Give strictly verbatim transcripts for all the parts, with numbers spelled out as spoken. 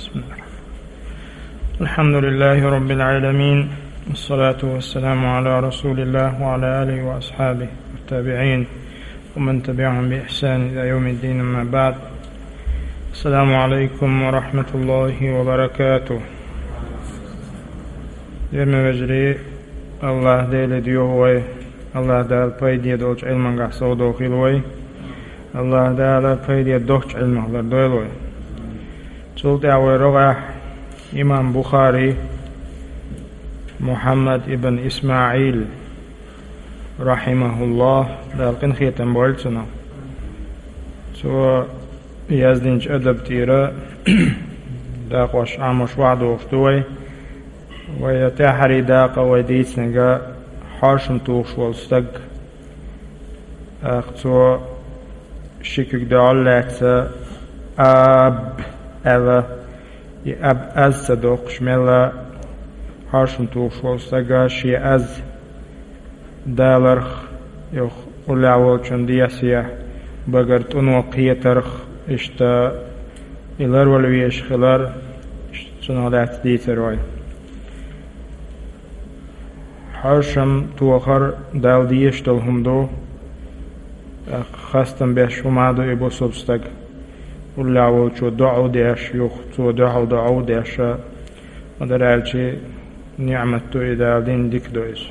بسم الله. الحمد لله رب العالمين، والصلاة والسلام على رسول الله وعلى آله وأصحابه والتابعين ومن تبعهم بإحسان إلى يوم الدين، أما بعد. السلام عليكم ورحمة الله وبركاته. Дерна вежарий, Аллах Деле дуьхьа вай, Аллах Дала пайде долчу Ӏилмангахь совдохийла вай, Аллах Дала пайде доцчу Ӏилмах лардойла вай. Цул тӀаьхьа вай рогӀехь имам Бухари Мухьаммад ибн ИсмаӀил, рахьимахуллах, Дала къинхетам бойла цунах. Цо яздинчу адаб тӀера дакъош Ӏамош вахьдохуш ду вай. Вай тӀаьххьарий дакъа вай дийцинарг хьошам тухуш волу стаг. ТӀаккха цо ши куьг дуьхьал лаьцна «аб» аьлла, и «аб» аз ца доккхуш мелла хьошам тухуш волу стага шен аз даларх, юха уллехь волчун дехьа багара тӀуно кхетарх, иштта и ларвала везаш хилар, иштта цунах лаьцна дийцар вай. Хьошам тохар Далла дезаш долу хӀума ду, тӀаккха хастам беш хӀума ду и бусулба стаг. Уллехь волчо доӀа а деш, юха цо дуьхьал доӀа а деш, ма-дарра аьлча, ниӀмат ду и, Дала дина дика ду иза.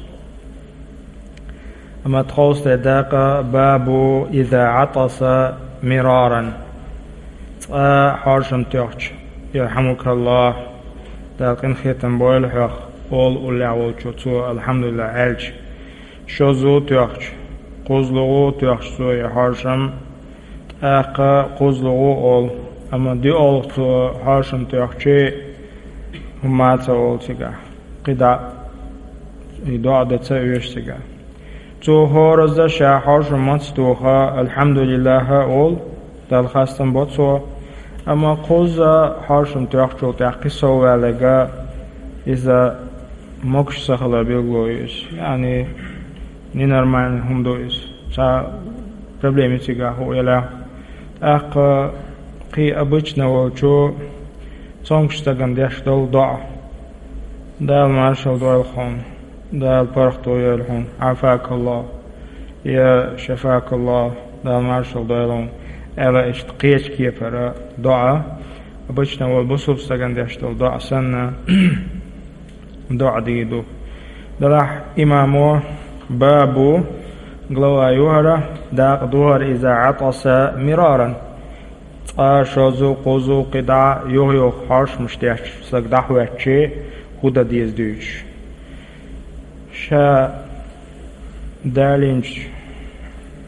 Амма тховса дакъа: «Бабу иза Ӏатаса мираран». Цкъа хьошам тоьхча, ярхьамукаллах, Дала къинхетам бойла хьох, олу уллехь волчо цо «Алхьамдулиллах» аьлча, шозза а тоьхча, кхузлагӀа а тоьхча цо и хьошам, тӀаккха кхузлагӀа а олу, амма доьалгӀа цо хьошам тоьхча, хӀумма а ца олу цигахь, кхидӀа а и доӀа дан ца оьшу цигахь. Цо хӀоразза ша хьошам маца тоха, «Алхьамдулиллах» олу, Далла хастам бо цо. Амма кхузза хьошам тоьхчул тӀаьхьа кхин сов ваьлларг, иза могуш ца хилар билгало ю иза. Яъни, ненормальный хӀума ду иза. Цхьа проблема ю цигахь, хӀун элахь. ТӀаккха кхин обычно волчо цомгуш стагана деш долу доӀа: «Дала маршалла дойла хьуна, Дала паргӀато йойла хьуна, Ӏафакаллах, я Шафакаллах, Дала маршалла дойла хьуна», аьлла, иштта кхечу кепара доӀа, обычно волу бусулба стагана деш долу доӀа санна, доӀа дийр ду. Делахь имамо «бабу», глава ю хӀара, дакъа ду хӀара: «иза Ӏатаса мираран». Цкъа, шозза, кхузза, кхидӀа а юха-юха хьошамаш деш стаг дӀахӀоьттича, хӀун дан деза дуьйцуш. Ша далийначу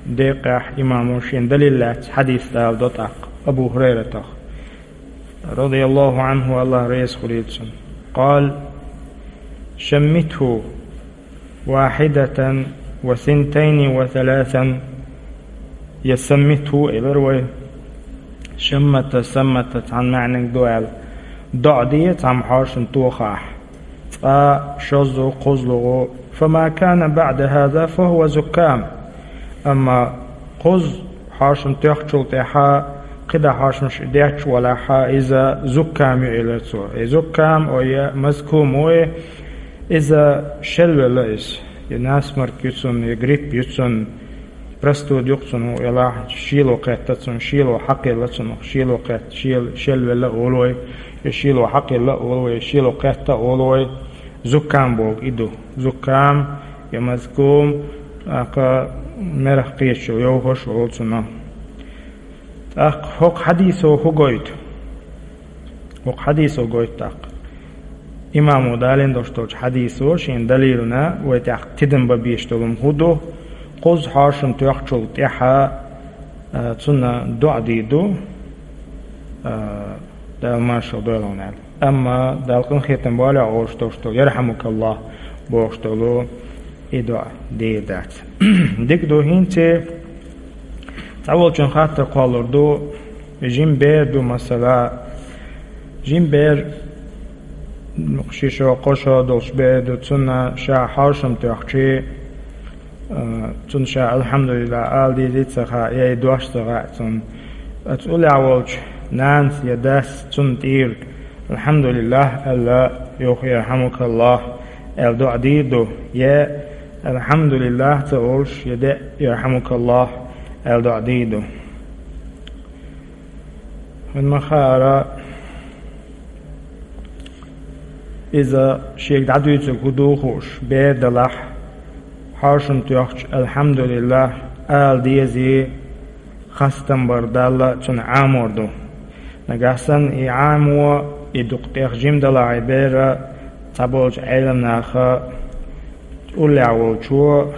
декъехь имамо шен далил лаьцна хьадис даладо тӀаккха Абу ХӀурайратах, радияллаху Ӏанху, Аллах реза хуьлийла цунна. Къала: «Шаммитху вахьидатан ва синтайни ва саласан». Я «саммитху» элира вай. «Шаммата», «саммата» цхьана маьӀниг ду аьлла. ДоӀа де цхьамма хьошам тохахь. Цкъа, шозза, кхузлагӀа. «Фама кана баъда хаза фахува зуккам». Амма кхузза хьошам тоьхчул тӀаьхьа кхидӀа хьошамаш детташ валахь, иза зуккам ю, элира цо. И зуккам, ой, я мазкум, ой, иза шелвелла иза. Я насморк ю цунна, я грипп ю цунна, простуда ю цунна, хӀун элахь, шело кхетта цунна, шело хьакхелла цунах, шело кхетта, шел-, шелвелла а олу вай, я шело хьакхелла а олу вай, я шело кхетта а олу вай. Зуккам бохург и ду. Зуккам, я мазкум, тӀаккха мерах кхеташ йовхош а олу цунах. ТӀаккха хӀокху хьадисо хӀун гойту? ХӀокху хьадисо гойту тӀаккха. Имамо далийна долуш долчу хьадисо шен далилна вай тӀехь тидам бан безаш долу хӀун ду? Кхузза хьошам тоьхчул тӀаьхьа, а, цунна доӀа дийр ду, а, Дала маршалла дойла хьуна аьлла. Амма Дала къинхетам бойла хьох олуш долуш долу, «Ярхьамукаллах» бохуш долу, и доӀа дийр дац. Дика ду хӀинца, цхьаволчун хаттар кхоллалур ду, жима бер ду, масала, жима бер, ши шо, кхо шо долуш бер ду, цунна ша хьошам тоьхча, а, цунна ша «Алхьамдулиллах» ала дезий ца хаьа, я и дош ца хаьа цунна. Оцу уллехь волчу нанас я дас цунна тӀера «Алхьамдулиллах» аьлла, юха «Ярхьамукаллах» аьлла доӀа дийр ду, е «Алхьамдулиллах» ца олуш, е де «Ярхьамукаллах» аьлла доӀа дийр ду. Вайн ма хаара, иза шега дӀадуьйцург хӀун ду хууш, бер далахь, хьошам тоьхча «Алхьамдулиллах» ала дезий, хастам бар Далла цунна Ӏамор ду. Нагахь санна и Ӏамо, и дукха тӀех жима далахь и бер, цхьаболчу Ӏеламнаха уллехь волчо,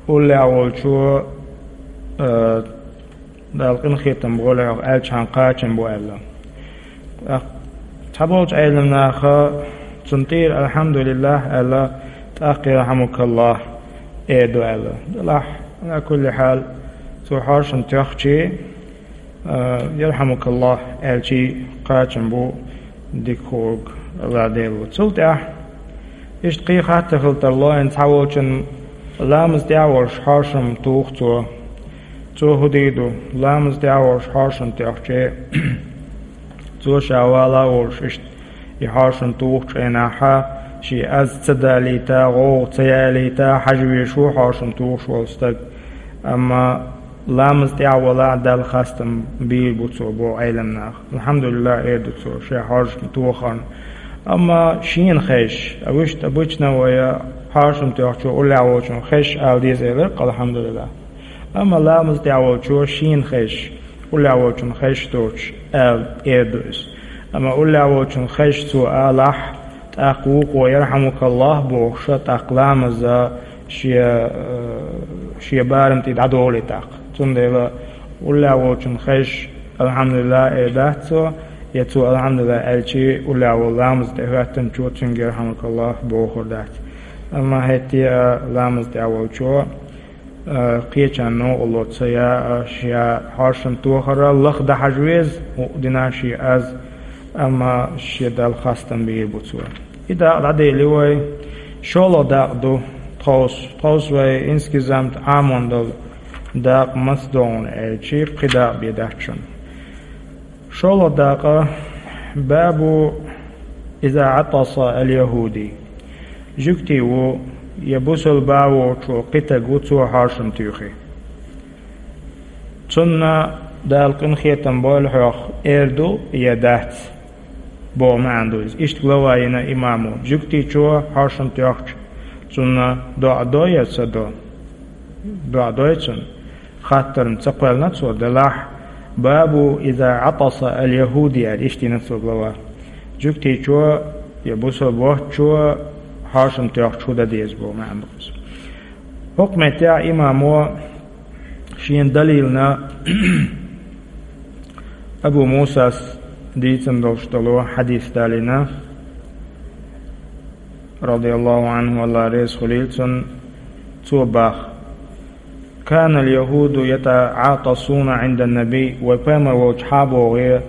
уллехь волчо, э, Далла къинхетам болу хьох аьлчахьана кхачам бу аьлла. ТӀаккха цхьаболчу Ӏеламнаха цунна тӀера «Алхьамдулиллах» аьлла, тӀаккха «Ярхьамукаллах» эр ду аьлла. Делахь, Ӏала кулли хьал, цо хьошам тоьхча, а, «Ярхьамукаллах» аьлча кхачам бу дика хуург Алла Дела ву. Цул тӀаьхьа иштта кхин хаттар хила тарло, хӀинца цхьаволчун ламаз тӀехь а волуш хьошам туху цо. Цо хӀун дийр ду, ламаз тӀехь а волуш хьошам тоьхча, цо ша вала а волуш, иштта и хьошам тухучу хенахь, шен аз ца далийта, гӀовгӀа ца ялийта, хьажа везаш ву хьошам тухуш волу стаг. Амма ламаз тӀехь а валахь, Далла хастам бийр бу цо, боху Ӏеламнаха. «Алхьамдулиллах» эр ду цо, шен хьошам тохарна. Амма шена хезаш, а вуьшта обычно вай хьошам тоьхчо уллехь волчун хезаш ала деза элира, «Алхьамдулиллах». Амма ламаз тӀехь волчо шена хезаш, уллехь волчун хезаш доцуш аьлла эр ду иза. Амма уллехь волчун хезаш цо алахь, тӀаккха вукхо «Ярхьамукаллах» бохуш, тӀаккха ламаза шен, э, шен барам тӀе дӀадолий тӀаккха. Цундела уллехь волчун хезаш «Алхьамдулиллах» эр дац цо, я цо «Алхьамдулиллах» аьлча, уллехь волу ламаза тӀехӀоьттинчо цуьнга «Ярхьамукаллах» бохур дац. Амма хӀетте а ламаза тӀехь волчо а, кхечарна новкъарло ца яа, ша хьошам тохара лаха дан хьажа веза, хӀуъа дина шен аз, амма шен Далла хастам бийр бу цо. И дакъа дӀадели вай, шолгӀа дакъа ду тховса, тховса вай инскизамт Ӏамон долу дакъа маца догӀу аьлча, кхин дакъа бен дац шуна. ШолгӀа дакъа, бабу иза Ӏатаса аль-яхӀуди. Жуьгти ву, я бусалба воцучо кхин стаг ву, цо хьошам туьйхи. Цунна Дала къинхетам бойла хьох эр ду я дац, боху маьӀна ду иза. Иштта глава йина имамо. Жуьгтичо хьошам тоьхча, цунна доӀа до я ца до? ДоӀа дой цунна. Хаттарна ца кхоьллина цо, делахь, бабу иза Ӏатаса аль-яхӀуди аьлла, иштта йина цо глава. Жуьгтичо я бусалба воцчо хьошам тоьхча хӀун дан деза боху маьӀна ду иза. ХӀокху меттехь имамо шена далилна Абу Мусас дийцина долуш долу хьадис далийна, радияллаху Ӏанху, Алла реза хуьлийла цунна, цо баха: «Канал яхӀуду ятаӀатасуна Ӏиндан набий», вай пайхамар волчу хьан богӀе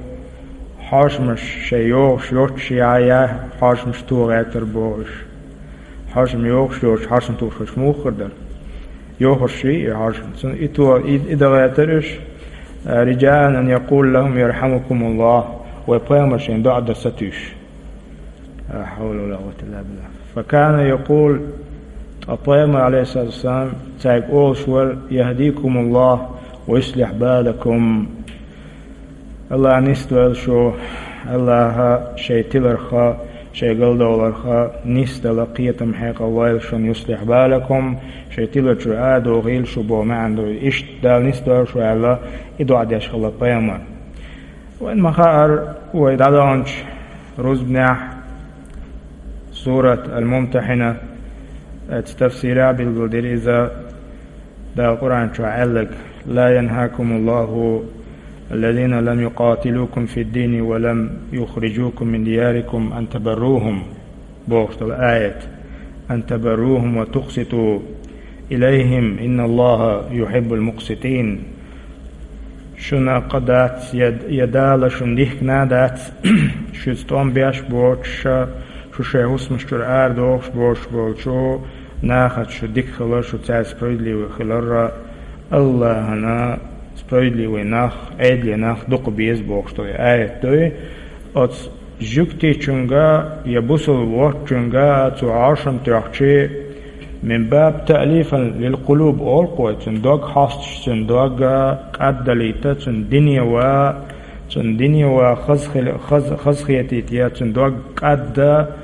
хьошамаш шайн йохуш йоцуш я, я хьошамаш тухуш гӀертар бохуш. Хьошам йохуш йоцуш, хьошам тухуш муха хир дара? Йохуш ший и хьошам. Цунна и то, и, и дан гӀертар уьш, «риджаан ан якъула лахум ярхьамукумуллах», вай пайхамар шайн доӀа дан сатуьйсуш. Ла хьавла ва ла къуввата илла биллах. Факана якъул, ткъа пайхамар, алейхиссалату вассалам, цаьрга олуш вара: «Яхдикумуллах ва юслих балакум». Аллах нисдойла шу, Аллаха шайн тиларха, шайн галдовларха нисдала кхетам хьекъал войла шуна, юслих балакум, шайн тилар чуьра а дохийла шу боху маьӀна ду. Иштта Дала нисдойла шу аьлла, и доӀа деш хилла пайхамар. Вайн ма хаара, вай дӀадаханчу рузбанехь сурат Аль-Мумтахьина, оцу тафсира билгалдира иза, Дала Къуръан чохь аьлларг: «Ла янхакумуллаху аллазина лам юкъатилукум фид-дини ва лам юхриджукум мин диярикум ан табаррухум», бохуш долу аят. «Ан табаррухум ва тукъситу илайхим, инналлаха юхиббул мукъситин». Шуна кхин дац, я, я Дала шуна дихкина а дац, шуьца тӀом беш боцуш, шу шайн хӀусамаш чуьра арадохуш боцуш болчу нахаца шу дика хилар, шу цаьрца справедливый хилар, Аллахана Справедливый нах, Ӏедале нах дукха беза бохуш долу аят ду и. Оцу жуьгтичунга я бусалба воцчунга цо хьошам тоьхчи, мин баб таълифан лил къулуб олу кхо, цуьнан дог хьостуш, цуьнан дог кӀаддалийта, цуьнан дине ван, цуьнан дине ван хаза хила-, хаза, хазахетийта, я цуьнан дог кӀадда,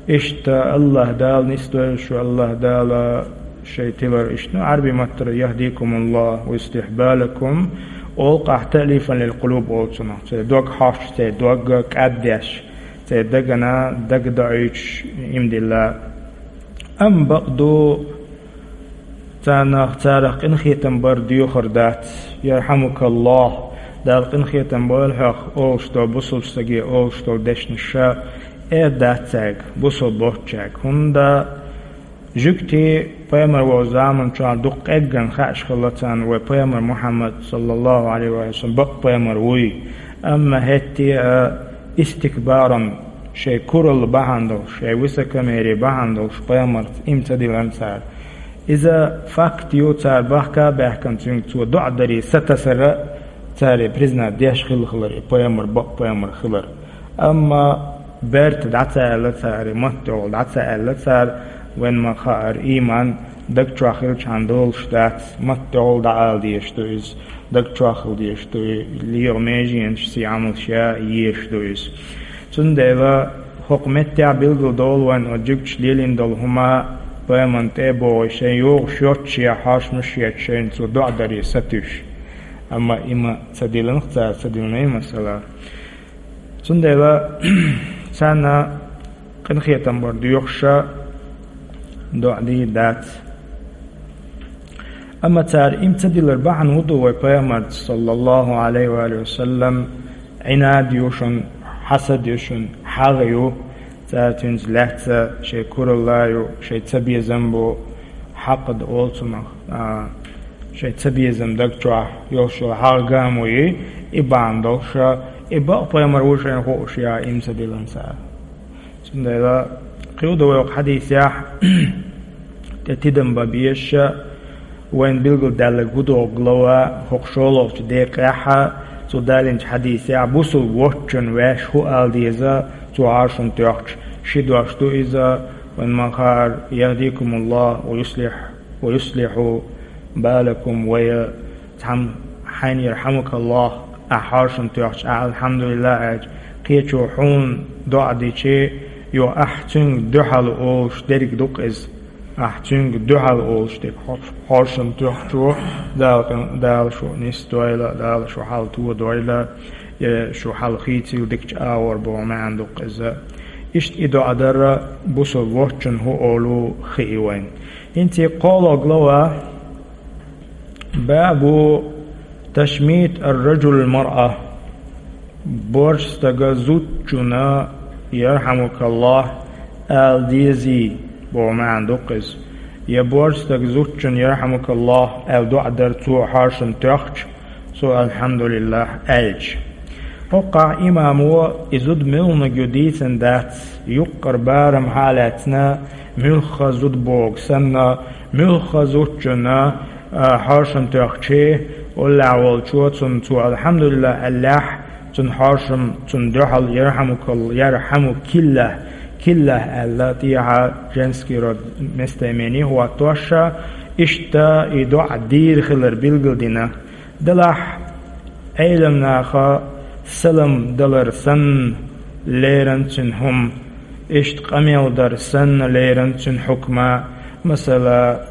иштта Аллаха Дала нисдойла шу, Аллаха Дала шайн тилар иштта, ну, Ӏарби маттара яхдикумуллах ва юслих балакум, олу кхо, таълифан лил къулуб олу цунах, церан дог хьостуш, церан дог кӀаддеш, церан дагана дага доуьйтуш, имдилла. Амма бакъду, царнах, царах къинхетам бар доьхур дац, ярхьамукаллах, Дала къинхетам бойла хьох, олуш долу бусалба стаге олуш долу дешнаш ша эр дац цаьрга, бусалба боцчаьрга. ХӀунда жуьгти пайхамар волу заманчохь дукха къеггина хууш хилла царна вай пайхамар Мухьаммад, саллаллаху Ӏалайхи ва саллам, бакъ пайхамар вуй. Амма хӀетте а истикбаран, шайн куралла бахьана долуш, шайн высокомерие бахьана долуш пайхамарца иман ца диллина цара. Иза факт ю, цара бахка а баьхкина, цуьнга цо доӀа даре сатасара, цара признать деш хилла хилар и пайхамар бакъ пайхамар хилар. Амма берта дӀа ца аьлла цара, маттехула дӀа ца аьлла цара, вайн ма хаара, ийман даг чохь хилчхьана долуш дац, маттехула дӀаала дезаш ду иза, даг чохь хила дезаш ду, леха меженаш, сий Ӏамалш ян езаш ду иза. Цундела хӀокху меттехь билгал долу вайн оцу жуьгташа лелийна долу хӀума, пайхамарна тӀе а богӀий, шайн йогӀуш йоцчу шен хьошамаш а етташ, шайна цо доӀа даре сатуьйсуш. Амма и ма ца диллина цара, ца диллина и масала. Цундела царна къинхетам бар доьхуш а доӀа дийр дац. Амма цара иман ца диллар бахьана хӀун ду вай пайхамарца, саллаллаху Ӏалайхи ва алихи ва саллам, Ӏинад ю шуна, хьасад ю шуна, хьагӀ ю, цара цуьнца лаьцна шайн куралла ю, шайн цабезам бу, хьакъ ду олу цунах, а, шайн цабезам даг чохь йолуш йолу хьагӀ гамо ю, и бахьана долуш а, и бакъ пайхамар ву шайна хууш а, иман ца диллина цара. Цундела кхин ду вай хӀокху хьадисехь тӀе тидам бан безаш а, вайна билгалдаьлларг хӀун догӀу глава, хӀокху шолгӀачу декъехь а, цо далийначу хьадисехь, бусалба воцчунна ваьш хӀун ала деза, цо хьошам тоьхча, ши дош ду иза, вайн ма хаара, яхдикумуллах ва юслих, ва юслиху балакум, вай цхьамма хьайна ярхьамукаллах, ахь хьошам тоьхча, ахь алхьамдулиллах аьлча, кхечо хьуна доӀа дичи, йо, ахь цуьнга дуьхьал олуш дерг ду-кх иза. Ахь цуьнга дуьхьал олуш дерг хьо-, хьошам тоьхчо, Дала къин-, Дала шу нисдойла, Дала шу хьал тодойла, я шу хьал хийцийла дикачу агӀор боху маьӀна ду-кх иза. Иштта и доӀа дара бусалба воцчунна хӀун олу хии вайн. ХӀинца и кхоалгӀа глава, бабу ташмит ар-раджул мар-а. Боьрша стага зудчунна ярхьамукаллах ала дезий, боху маьӀна ду-кх иза. Я боьрша стага зудчунна ярхьамукаллах аьлла доӀа дара цо хьошам тоьхча, цо алхьамдулиллах аьлча. ХӀокхахь имамо и зуда муьлханиг ю дийцина дац, юккъара барам хьалаьцна, муьлхха зуда богу санна, муьлхха зудчунна, а, хьошам тоьхчи, уллехь волчо цунна цо алхьамдулиллах аьллехь, цунна хьошам, цунна дуьхьал ярхьамукал-, ярхьамукиллах, киллах аьлла, тӀехьа женский род местоимение хӀоттош а, иштта и доӀа дийр хилар билгалдина. Делахь, Ӏеламнаха салам далар санна леран цуьнан хӀума, иштта къамел дар санна леран цуьнан хьукма, масала,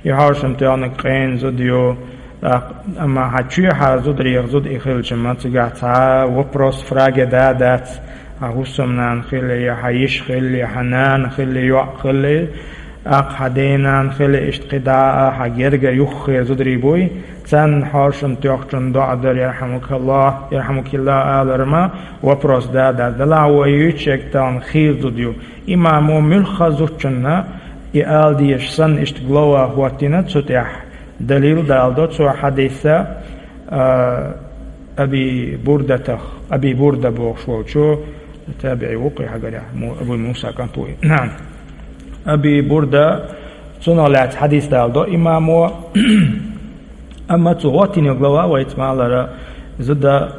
и хьошам тоьхнарг къена зуда ю, тӀаккха, амма хьан чоьхьа зударех зуда и хилча, ма цигахь цхьа вопрос, фраге да а дац, хьан хӀусамнана хили, я хьан йиша хили, я хьан нана хили, йоӀ хили, тӀаккха хьан денана хили, иштта кхидӀа а хьан гергара юххера зударий буй, царна хьошам тоьхчунна доӀа дар, ярхьамукаллах, ярхьамукиллах алар ма вопрос да а дац. Делахь вай юьйцуш ерг тахана хийла зуда ю. Имамо муьлхха зудчунна и ала дезаш санна иштта глава хӀоттийна цу тӀехь. Далил далдо цо хьадисца, а, Аби Бурдатах, Аби Бурда бохуш волчу, табиӀи ву кхин хьагарехь, Му-, Абу Муса кӀант ву и. Наам. Аби Бурда, цунах лаьцна хьадис далдо имамо, Амма цу гӀоттиниг лава вайца малара зуда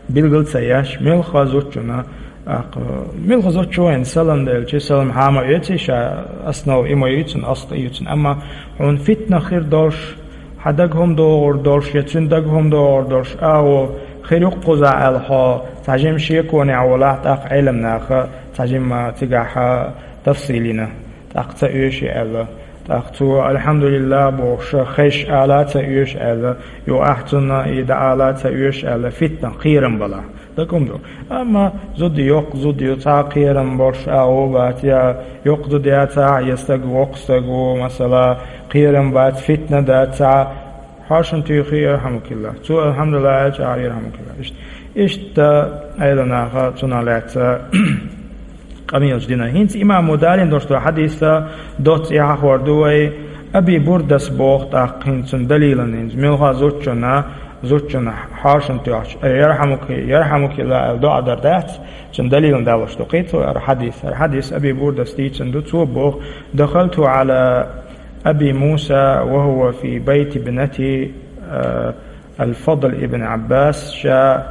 билгал ца еш, мелха зудчунна, тӀаккха, мелха зудчо вайна салам делча, салам хьа ма оьций ша, основа и ма ю цун, асл и ю цун. Амма хьона фитна хир долуш, хьан дага хӀума догӀур долуш, я цуьнан дага хӀума догӀур долуш, агӀо хир ю-кх кхузахь аьлла хьо, цхьа жима шеконехь волахь, тӀаккха Ӏеламнаха цхьа жима цигахь тафсил йина, тӀаккха ца оьший аьлла. ТӀаккха цо, «АлхьамдулиллахӀ», бохуш, хезаш ала ца оьшу аьлла, юха ахь цунна и дӀаала ца оьшу аьлла, фитна, кхерам балахь. Дага хӀума ду. Амма зуда йоккха зуда ю, цхьа а кхерам болуш агӀо а бац, я йоккха зуда яцахь, я стаг воккха стаг ву, масала, кхерам бац, фитна дац, цхьа а, хьошам туьйхи, ярхьамукиллахӀ. Цо, «АлхьамдулиллахӀ», аьлча, ахь, ярхьамукиллахӀ. Иштта, иштта Ӏеламнаха цунах лаьцна къамелаш дина. ХӀинца имамо далийна долуш долу хьадис доцца эхь хьахор ду вай, Аби Бурдас боху тӀаккха хӀинца цунна далилан хӀинца. Мелха зудчунна, зудчунна хьошам тоьхча, э, «ЯрхьамукиллахӀ», «ЯрхьамукиллахӀ» аьлла доӀа дар дац, цунна далилан далош ду кхин цо хӀара хьадис. ХӀара хьадис Аби Бурдас дийцина ду, цо боху: «دخلت على أبي موسى وهو في بيت ابنته», э, Ал-Фадл ибн Ӏаббас ша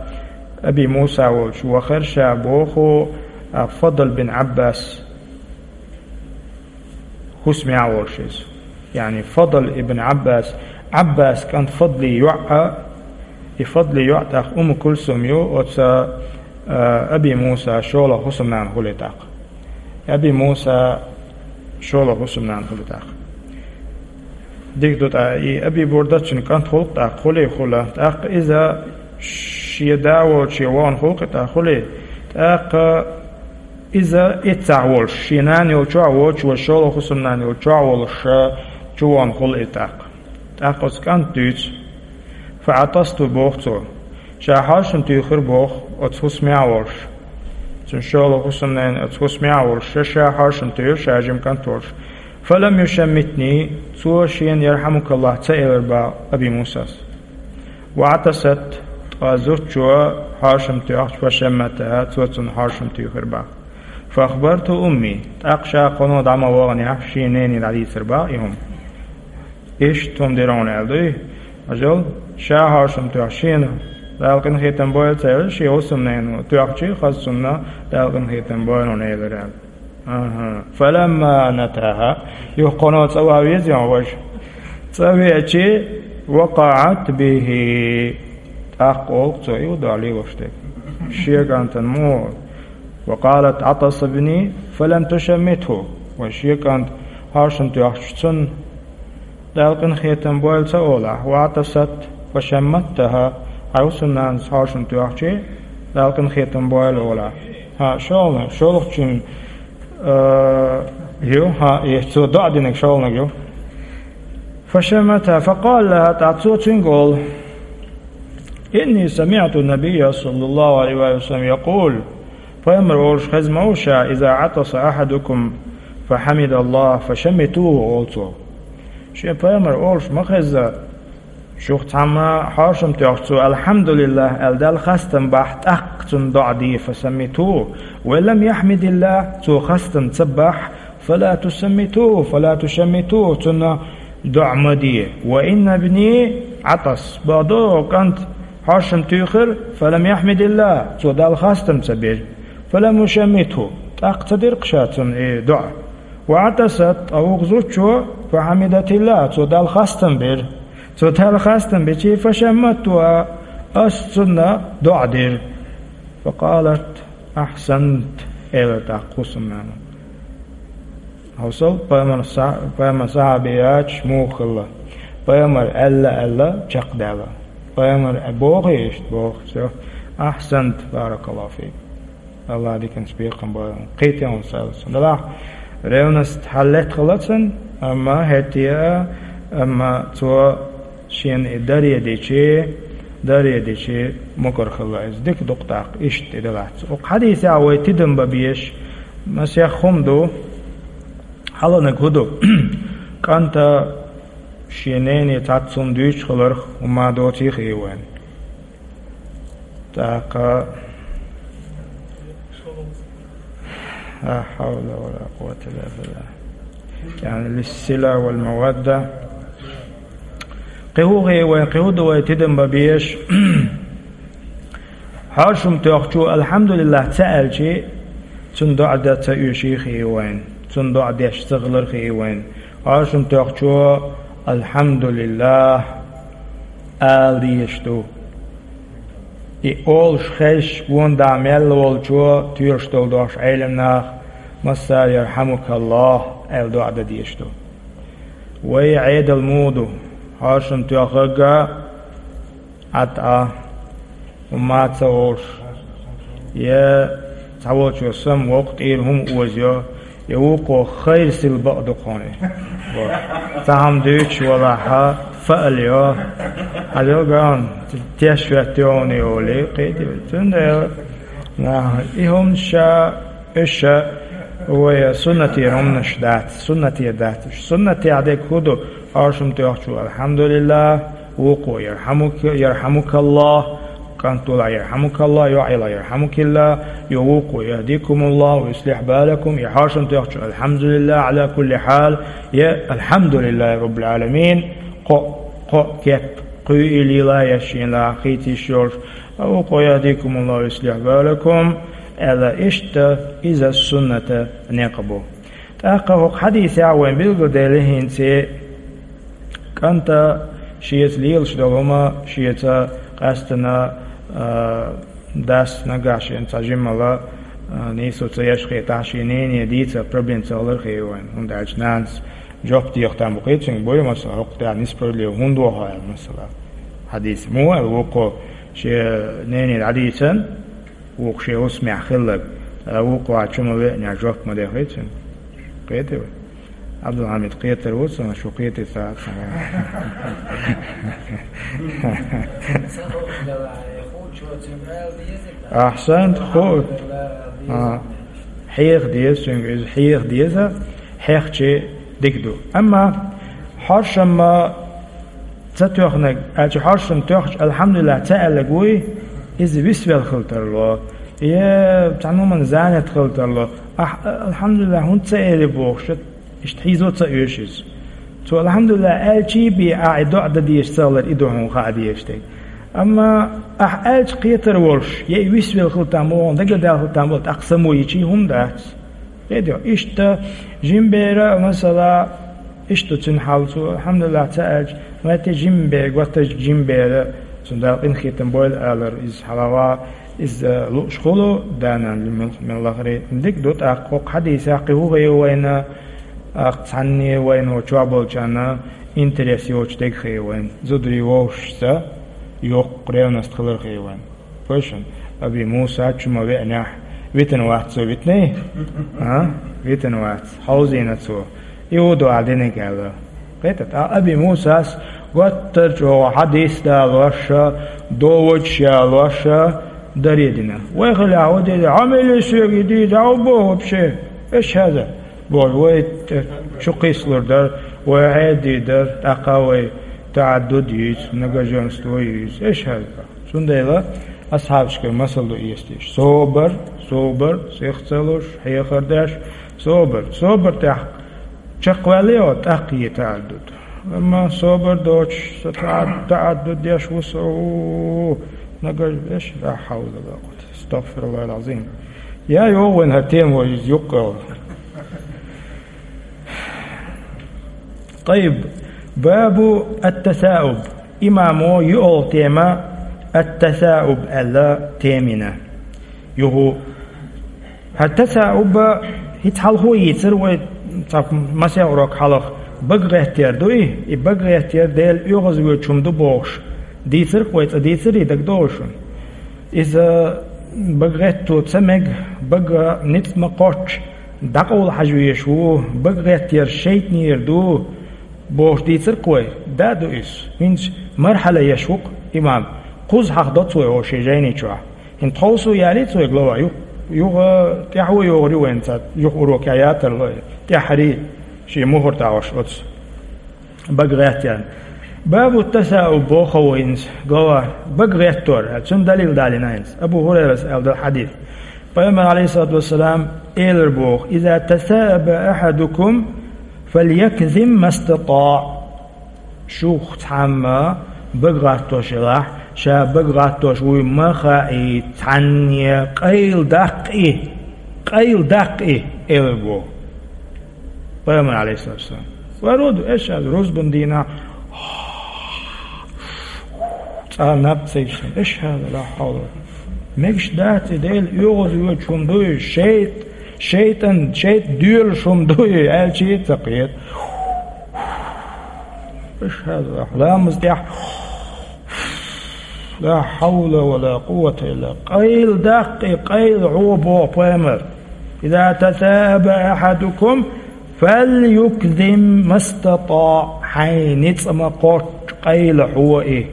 Аби Муса волчу вахара, ша боху, а, Фадл бин Ӏаббас хӀусамехь волуш иза. Яъни Фадл ибн Ӏаббас, Ӏаббас кӀант Фадли йоӀ а, и Фадли йоӀ тӀаккха Умму Кулсум ю, оцу, а, Аби Муса шолгӀа хӀусамнана хуьлий тӀаккха. Аби Муса шолгӀа хӀусамнана хуьлу тӀаккха. Дика ду тӀаккха, и Аби Бурда цуьнан кӀант хуьлу тӀаккха, хуьлий хуьлу. ТӀаккха иза шен да волчу вахана хуьлу кхин тӀаккха, хуьлий. ТӀаккха иза эццахь волуш, шен нана йолчохь воцуш, шолгӀа хӀусамнана йолчохь волуш, чувахана хуьлу и тӀаккха. ТӀаккха оцу кӀанта дуьйцу. «فعطست», боху цо. Ша хьошам туьйхира боху, оцу хӀусамехь а волуш. Цуьнан шолгӀа хӀусамнана оцу хӀусамехь а волуш, ша, ша хьошам туьйхира, ша жима кӀант волуш. «فلم يشمتني», цо шена «ЯрхьамукаллахӀ» ца элира боху Аби Мусас. «وعطست», ткъа зудчо хьошам тоьхча, «فشمتها», цо цунна хьошам туьйхира боху. «فأخبرت أمي», тӀаккха ша кхано дӀа ма ваханехь, шен нене дӀадийцира боху и хӀума. Иштта хӀума дира хьуна аьлла дуй? Ажал, ша хьошам тоьхча шена Дала къинхетам бойла ца элира, шен хӀусамнена тоьхча, хаза цунна Дала къинхетам бойла хьуна элира аьлла. Аха. «فلما أتاها», юха кхано цӀа ван веза хьуна важа. ЦӀа веача, «وقعت به», тӀаккха олу цо и доӀа лелош дерг. Шен кӀантана муха: «وقالت: عطس ابني فلم تشمته», вайн шен кӀант хьошам тоьхча цунна Дала къинхетам бойла ца олахь, «وعطست فشمتها», хьайн хӀусамнанас хьошам тоьхча, Дала къинхетам бойла олахь. ХӀа, шолгӀа, шолгӀачун, а, ю, хӀа, и цо доӀа динарг шолгӀаниг ю. «فشمتها فقال لها», тӀаккха цо цуьнга олу: «إني سمعت النبي صلى الله عليه وسلم يقول», пайхамар олуш хезна ма ву ша: «إذا عطس أحدكم فحمد الله فشمتوه», олу цо. Шен пайхамар олуш ма хезна, шух цхьамма хьошам тоьхча цо «АлхьамдулиллахӀ» аьлла, Далла хастам бахь, тӀаккха цунна доӀа де, «فشمتوه. وإن لم يحمد الله», цо хастам ца бахь, «فلا تشمتوه، فلا تشمتوه», цунна доӀа ма де. «وإن ابني عطس», бакъду, кӀант хьошам туьйхира, «فلم يحمد الله», цо Далла хастам ца бира, «فلم يشمته», тӀаккха ца дира-кх ша цунна и доӀа. «وعطست», ткъа вукху зудчо, «فحمدت الله», цо Далла хастам бира. Цо Далла хастам бича, «فشمتها», ас цунна доӀа дира. «فقالت: أحسنت», элира тӀаккха хӀусамнана. Хьовсал, пайхамар са-, пайхамар сахьабий яц муха хилла. Пайхамар аьлла, аьлла, чекхдаьлла. Пайхамар а бохий иштта, боху, всё. «أحسنت, بارك الله فيك». АллахӀ диканца бекхам бойла. Кхетий хьуна, саллаллахӀу Ӏалайхи ва саллам. Делахь, ревность хьаллетта хилла цунна, амма хӀетте а, амма цо шена и даре дичи, даре дичи мукӀар хилла иза. Дика ду-кх тӀаккха, иштта и делахь. Оцу хьадисехь вай тидам бан безаш масех хӀума ду, хьаланиг хӀун ду? КӀанта шен нене цхьацца хӀума дуьйцуш хиларх хӀумма доций хии вайна. ТӀаккха, لا حول ولا قوة إلا بالله. يعني للصلة والمودة. Кхин хӀун хии вайн, кхин хӀун ду вай тидам бан безаш? Хьошам тоьхчо «Алхьамдулиллахь» ца аьлча, цунна доӀа дан ца оьший хии вайн, цунна доӀа деш ца хилар хии вайн. Хьошам тоьхчо «Алхьамдулиллахь» ала дезаш ду. И олуш хезча, гонда мел волчо, тоьшаш долу дохуш Ӏелам нах, массара «Ярхьамукаллахь» аьлла доӀа дан дезаш ду. Вай Ӏедал муха ду? Хьошам тоьхнарг а, Ӏад а, хӀумма а ца волуш, я цхьаволчо сам воккха тӀера хӀума озайо, я вукхо хайр сила бакъ ду кхуьне. Цхьа хӀума дуьйцуш валахь, фаал йо. Хьажал ган, теш веттайо хьуна олий, кхетий. Цундела, наха, и хӀуманаш ша, уьш ша, вай суннатера хӀуманаш дац, суннатера дац уьш. Суннатехь дерг хӀун ду? Хьошам тоьхчо «Алхьамдулиллахь», вукхо «Ярхьамук-, ярхьамукаллахь», кӀант валахь «Ярхьамукаллахь», йоӀ елахь «Ярхьамукиллахь», я вукхо «Яхьдикумуллахь ва юслихь балакум», я хьошам тоьхчо «Алхьамдулиллахь Ӏала кулли хьал», я «Алхьамдулиллахьи раббил Ӏаламин», кхо, кхо кеп, кхуьйла а, я шена а хийца йиш йолуш, а вукхо «Яхьдикумуллахь ва юслихь балакум», аьлла, иштта иза сунната некъ бу. ТӀаккха хӀокху хьадисехь вайн билгалдели хӀинца, кӀанта шеца лелаш долу хӀума шеца къаьстина, а, дас нагахь шена цхьа жиммала, а, нийсо ца еш хетахь, шен нене дийца проблема ца хилар хии вайн. ХӀунда аьлча нанас жоп деха там бу кхетий цуьнга, бой, масала, хӀокху тӀехь несправедливо хӀунда воху аьлла, масала. Хьадис муха аьлла вукхо шен нене дӀадийцина, вукху шен хӀусамехь хилларг, ткъа вукхо чу ма веъна жоп ма дехий цуьнга. Кхетий вай? Абдулхьамид кхетар ву цунах, шу кхетий ца ца. Ахьсант, ху-, а, хьеха деза цуьнга иза, хьеха деза, хьехча дика ду. Амма хьошам ма ца тоьхнарг, аьлча хьошам тоьхча «Алхьамдулиллахь» ца аьлларг вуй, иза висвелла хила тарло, я цхьана хӀуманна занят хила тарло. Ахь «Алхьамдулиллахь» хӀунда ца элира бохуш, иштта хьийзо ца оьшу иза. Цо «Алхьамдулиллахь» аьлчий бен ахь и доӀа дан дезаш ца хилар, и ду хьуна хаа дезаш дерг. Амма ахь аьлча кхетар волуш, я и висвелла хила там, оха дагадаьлла хила там бала, тӀаккха само йичий хӀума дац. Кхетий, иштта жима бер а, масала, иштта цуьнан хьал, цо «Алхьамдулиллахь» ца аьлча, ма-, те жима бер, готтаж жима бер, цунна Дала къинхетам бойла алар, иза хьалагӀа, иза лууш хуьлу, да-нана мел-, мел лахаре. Дика ду тӀаккха, хӀокху хьадисехь кхин хӀун хии вайна, тӀаккха цхьанне вайна чохь болчарна интерес йоцуш дерг хии вайна. Зударий вовшашца йоккха ревность хилар хии вайна. Вай шуна, Аби Муса чу ма веънехь, витина вац цо, витиний? А? Витина вац, хьовзийна цо. И ву дуьхьал диниг аьлла. Кхетий, ткъа Аби Мусас готтар чӀогӀа хьадис далош а, доводаш а ялош а даре дина. Вай хилахь хӀун дийр дара, хьо мел и соьга и дийр дара, хьо боху вообще? Эш хьаза. Боху, вай тӀе чу кхийсалур дара, вай хьеда дийр дара, тӀаккха вай таӀаддуд юьйцу, многоженство юьйцу. Эш хьаза. Цундела асхьабашкара масал ду эцийша. Собар, собар, сих ца луш, хьехар деш, собар. Собар тӀехь чекхваьллий хьо, тӀаккха е таӀаддуд. Амма собар доцуш, со таӀад-, таӀаддуд деш ву со, у, нагахь веш, ла хьавла ва ла къуввата. АстагӀфируллахӀил Ӏазим. Я йогӀу вайн хӀара тема вай иза юккъехула. Тайиб, бабу ат-тасауб. Имамо юьалгӀа тема ат-тасауб аьлла тема йина. Юху хӀара тасауб хӀинца хьалхо йийцира вай цхьа масех урок хьалха. Бага гӀеттар ду и, и бага гӀеттар Дела оьгӀазвоьдуш хӀума ду бохуш. Дийцира-кх вай, цкъа дийцирий, дагадогӀий шуна? Иза бага гӀетто ца мега, бага ницкъ ма кхоччу, дӀакъовла хьажа везаш ву, бага гӀеттар шайтӀанера ду, бохуш дийцира-кх вай. Да, ду иза. ХӀинца мархьала еш ву-кх имам. Кхузза хьахдо цо вай шен жайни чохь. ХӀинца тховсо ялий цо вай глава, юха, юха тӀаьхьо йогӀур ю вайн цхьа, юха урокехь ятарло, тӀаьххьарий шен мухӀар тӀехь ош оцу. Бага гӀеттар. Бабу тасауб боху вайна, глава, бага гӀеттор, цуьнан далил далийна хӀинца. Абу ХӀурайрас аьлла долу хьадис. Пайхамар, Ӏалайхиссалату вассалам, элира боху: «Иза тасааба ахьадукум, фальякзим мастатаӀ». Шух цхьамма бага гӀаттош елахь, ша бага гӀаттош вуй ма хаий, цхьанне къайла даккха и, къайла даккха и, элар боху пайхамар, алейхиссалату вассалам. Ва руду, эшхьаду, рузбан дийнахь цӀа наб ца йиссина, эшхьаду, ла хьавла. Мегаш дац и, Дела оьгӀаз воьдуш хӀума дуй, шайт-, шайтӀан, шайтӀа доьлуш хӀума дуй, аьлча а ца кхета. Ламаз тӀехь: ла хьавла ва ла къуввата илла. Къайла даккха и, къайла хьо, боху пайхамар. Иза тасааба ахьадукум фальюкзим мастатаӀ. Хьайн ницкъ ма кхоччу, къайла хьо и.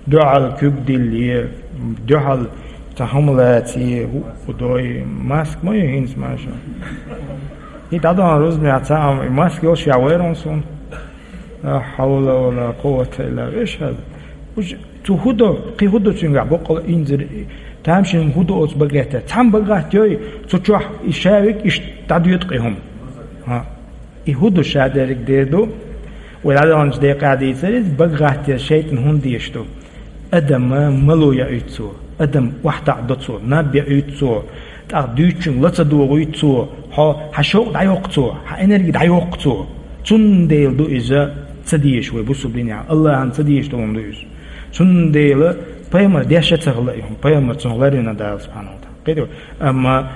Дуьхьал куьг дилле, дуьхьал цхьа хӀума лацае, хӀуъу дой, маск ма ю хӀинца, маша. И дӀадахана рузбанехь цхьа хӀума, и маск йолуш яхь вайра хьуна суна. Ла хьавла ва ла къуввата илла билла. Веш хьал. Уж цу хӀун до, кхин хӀун до цуьнгахь боккъала инзар, тамашийна хӀун до оцу багетта? Цхьамма бага гӀаттайой, цу чохь и шавиг иштта дӀадоьду кхин хӀума. ХӀа. И хӀун ду, ша дерриг дер ду? Вай дӀадаханчу декъехь дийцира иза, бага гӀаттаяр шайтӀана хӀунда дезаш ду? Адам мало яуьйту цо, адам охьатаӀадо цо, наб яуьйту цо, тӀаккха дуьйцучуьнга ла ца догӀуьйту цо, хьо, хьан шовкъ дӀайоккху цо, хьан энерги дӀайоккху цо. Цундела ду иза ца дезаш вай бусулба динехь, Аллахьан ца дезаш долу хӀума ду иза. Цундела пайхамар деш а ца хилла и хӀума, пайхамар цунах ларвина Дала субхьанаху ва таӀала. Кхетий вай? Амма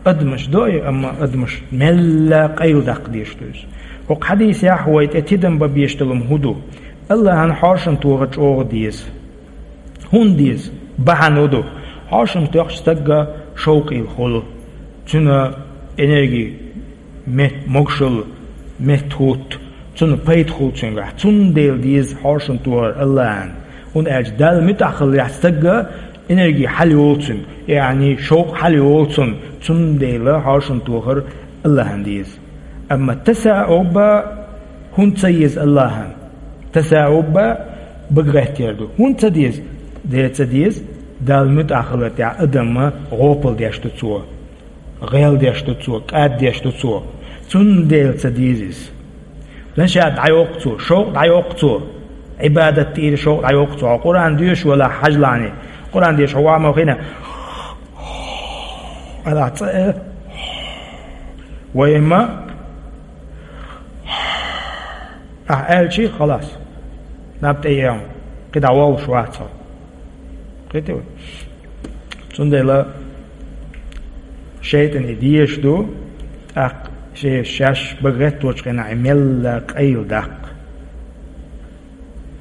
адамаш до и, амма адамаш мелла къайла даккха дезаш ду иза. ХӀокху хьадисехь вай тӀе тидам бан безаш долу хӀун ду? Аллахьан хьошан тохар чӀогӀа деза. ХӀунда деза? Бахьана хӀун ду? Хьошан тоьхча стагга шовкъийла хуьлу. Цуьнан энерги мет-, могушалла меттахӀутту. Цунна пайда хуьлу цуьнгахь. Цундела деза хьошан тохар Аллахьан. ХӀунда аьлча Далла муьтӀахь хиллехь стагга энерги хьалайолу цуьнан, яъни шовкъ хьалайолу цуьнан, цундела хьошан тохар Аллахьан деза. Амма тасаубба хӀунда ца еза Аллахьан? Тасаубба бага гӀаттаяр ду. ХӀунда ца деза? Де ца деза, Далла муьтӀахь хилар тӀехь адамна гӀопал деш ду цо. ГӀел деш ду цо, кӀад деш ду цо. Цундела ца деза иза. Дан ша дӀайоккху цо, шовкъ дӀайоккху цо. Ӏибадат тӀера шовкъ дӀайоккху цо. Хьо Къуръан доьшуш валахь хьажлахьний. Къуръан деша хьо ваха ма хина. Ала цӀа э. Вай ма. Ахь аьлчи, халас. Наб тӀе ехьа. КхидӀа вовш вац хьо. Кхетий вай? Цундела шайтӀана и дезаш ду, тӀаккха шен шаьш бага гӀетточу хенахь и мелла къайла даккха,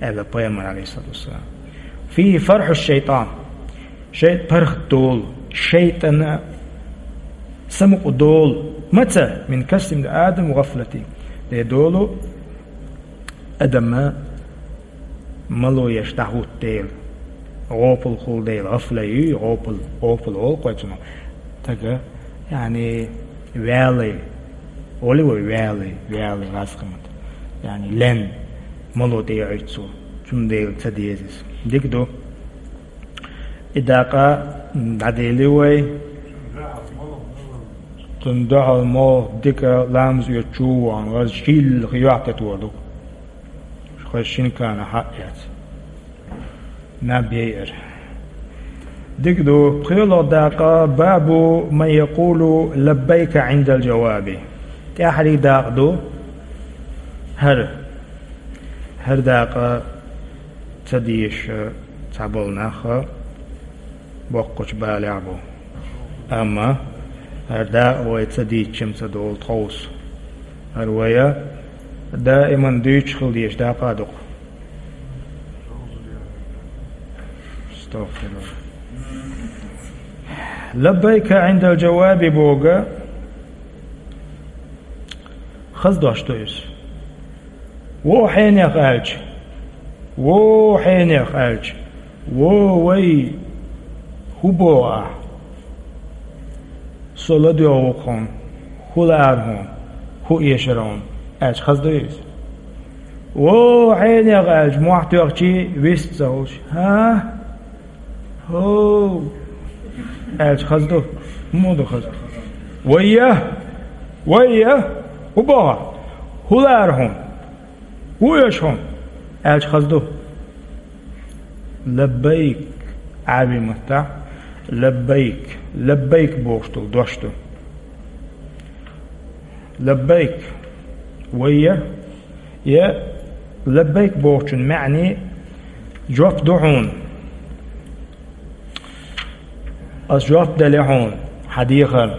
аьлла пайхамар, алейхиссалату вассалам. Фи фархьу шайтан. ШайтӀа паргӀат долу, шайтӀана самукъа долу. Маца? Мин касим адам гӀафлати. Де долу, адамна мало еш дӀахӀутту дела, гӀопал хуьлу дела, гӀафла ю, гӀопал, гӀопал олу кхойцунах. Тага, яъни, ваьлла, олу вай ваьлла, ваьлла гӀазкхамат. Яъни, лен, мало тӀе яуьйту цо, цундела ца деза иза. Дика ду. И дакъа дӀадели вай. Цунна дуьхьал мо дика ламаз оьцучу ван, ваз шийла хи йохьтетор ду. Хой шинкана хьаъ яц. Наб яйар. Дика ду, пхоьалгӀа дакъа, бабу ман якъулу лаббайка Ӏиндал жаваби. ТӀаьхьарий дакъа ду, хӀара. ХӀара дакъа ца дезаш цхьаболу нах боккхачу балехь бу. Амма хӀара дакъа вай ца дийцча-м ца долу тховса. ХӀара вай даиман дуьйцуш хила дезаш дакъа а ду-кх. Астагфирулла. Лаббайка Ӏиндал жаваби боху, хаза дош ду иза. Вон хьенех аьлча, вон хьенех аьлча, вон вай, хӀун боху ахь? Со ладоьгӀу хьуна, хӀун лаьара хьуна, хӀун эшара хьуна, аьлча хаза ду иза? Вон хьенех аьлча, мохь тоьхчий вист ца хуьлуш, хӀа? ХӀов! Аьлча хаза ду? ХӀун ду хаза? Вайя! Вайя! ХӀун боху? ХӀун лаьара хьуна? Ву оьшу хьуна? Аьлча хаза ду. Лаббайк, Ӏарбий маттахь, лаббайк, лаббайк бохуш долу дош ду. Лаббайк, вай я, я лаббайк бохучун маьӀни жоп ду хьуна. Ас жоп дели хьуна хьан дехар,